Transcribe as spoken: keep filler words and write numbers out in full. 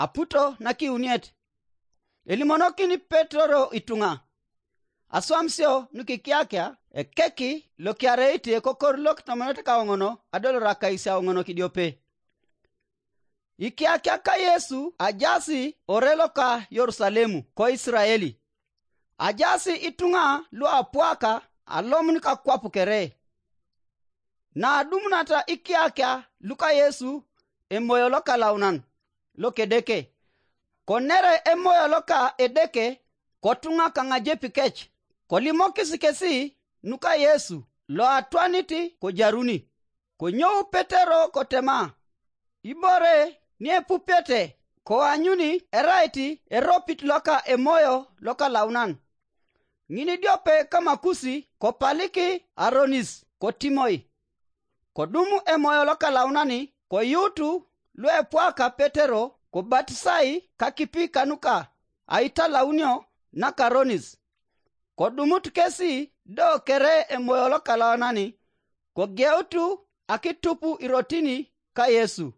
aputo nakiuniet. Elimonokini Petero ituŋa. Aswam sio nukikiakia ekeki lokiareiti ekokor lokitomonete kaoŋono adolor akais aoŋono kidiope. Ikiakia ka Yesu ajasi ore loka Yerusalemu ko Israeli. Ajasi ituŋa luapwaka alomun kakwap kere. Naadumunata ikiakia luka Yesu Emoyo Lokalaunan lokedeke, konere Emoyo loka Edeke kotuŋa kaŋajepikec, kolimokis kesi nuka Yesu loatwanit kojaruni. Konyou Petero kotema, ibore niepupiete koanyuni erait eropit loka Emoyo Lokalaunan. Ŋinidiope kamakusi kopaliki aronis kotimoi. Kodum Emoyo Lokalaunani koyuutu luepwaka Petero kobatisai kakipi kanuka aitalaunio nakaronis. Kodumut kesi do kere Emoyo Lokalaunani kogeutu akitupu irotini ka Yesu.